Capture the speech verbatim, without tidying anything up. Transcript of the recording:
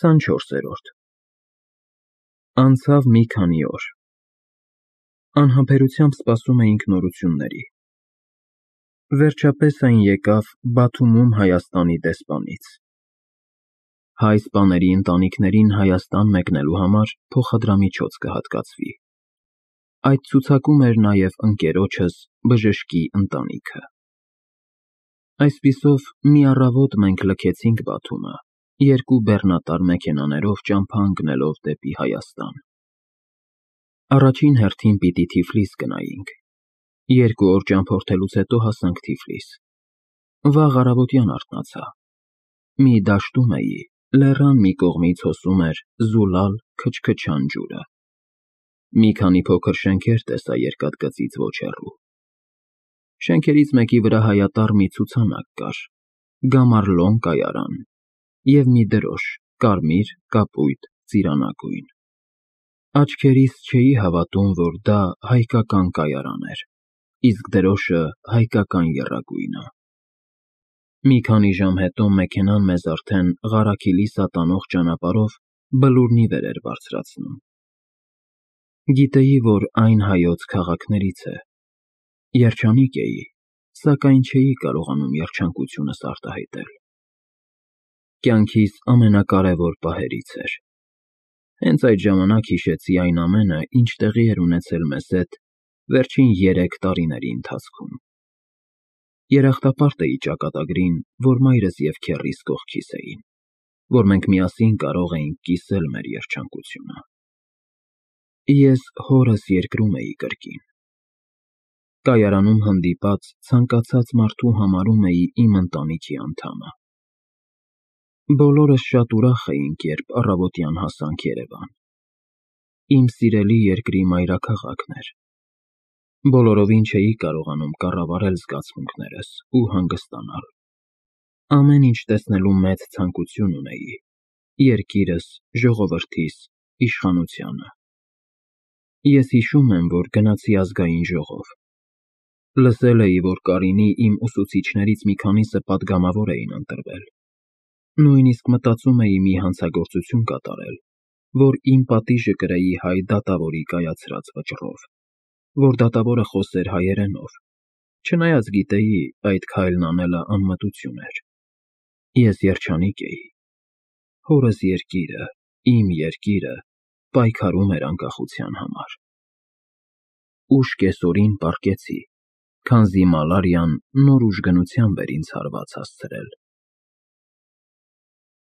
քսանչորսերորդ Անցավ մի քանի օր։ Անհամբերությամբ սպասում էինք նորությունների։ Վերջապես այն եկավ Բաթումում Հայաստանի դեսպանից։ Հայ սպաների ընտանիքներին Հայաստան մեկնելու համար փոխադրամիջոց կհատկացվի։ Այդ ցուցակում էր նաև ընկերոջս Բժշկի ընտանիքը։ Այսպիսով, մի առավոտ մենք լքեցինք Բաթումը, երկու բեռնատար մեքենաներով ճամփա ընկնելով դեպի Հայաստան։ Առաջին հերթին պիտի Թիֆլիս գնայինք։ Երկու օր ճամփորդելուց հետո հասանք Թիֆլիս։ Վաղ առավոտյան արթնացա։ Մի դաշտում էի, լեռան մի կողմից հոսում էր զուլալ քչքչան ջուրը։ Մի քանի փոքր շենքեր տեսա երկաթգծից ոչ հեռու։ Շենքերից մեկի վրա հայատառ մի ցուցանակ կար՝ Գամարլոն կայարան, և մի դրոշ՝ կարմիր, կապույտ, ծիրանագույն։ Աչքերիս չէի հավատում, որ դա հայկական կայարան էր, իսկ դրոշը հայկական եռագույնը։ Մի քանի ժամ հետո մեքենան մեզ արդեն Ղարաքիլիսա տանող ճանապարհով Բլուրնի վեր էր բարձրացնում։ Գիտեի, որ այն հայոց քաղաքներից է։ Երջանիկ էի, սակայն չէի կարողանում երջանկությունս արտահայտել։ Կյանքիս ամենակարևոր պահերից էր։ Հենց այդ ժամանակ հիշեցի այն ամենը, ինչ տեղի էր ունեցել մեզ հետ վերջին երեք տարիների ընթացքում։ Երախտապարտ էի ճակատագրին, որ մայրս և քեռիս կողքիս էին, որ մենք միասին կարող էինք կիսել մեր երջանկությունը։ Ես հորս երկրում էի կրկին։ Կայարանում հանդիպած ցանկացած մարդու համարում էի իմ ընտանիքի անդամը։ Բոլորս շատ ուրախ էինք, երբ առավոտյան հասանք Երևան։ Իմ սիրելի երկրի մայրաքաղաքն էր։ Բոլորովին չէի կարողանում կառավարել զգացմունքներս ու հանգստանալ։ Ամեն ինչ տեսնելու մեծ ցանկություն ունեի՝ երկիրս, ժողովրդիս, իշխանությանը։ Ես հիշում եմ, որ գնացի Ազգային ժողով։ Լսել էի, որ Կարինի իմ ուսուցիչներից մի քանիսը պատգամավոր էին ընտրվել։ Նույնիսկ մտածում էի մի հանցագործություն կատարել, որ իմ պատիժը կրեի հայ դատավորի կայացրած վճռով, որ դատավորը խոսեր հայերենով, չնայած գիտեի այդ քայլն անելը անմտություն էր։ Ես երջանիկ էի։ Հորս երկիրը, իմ երկիրը, պայքարում էր անկախության համար։ Ուշ կեսօրին պառկեցի, քանզի մալարիան նոր ուժգնությամբ էր ինձ հարված հասցրել։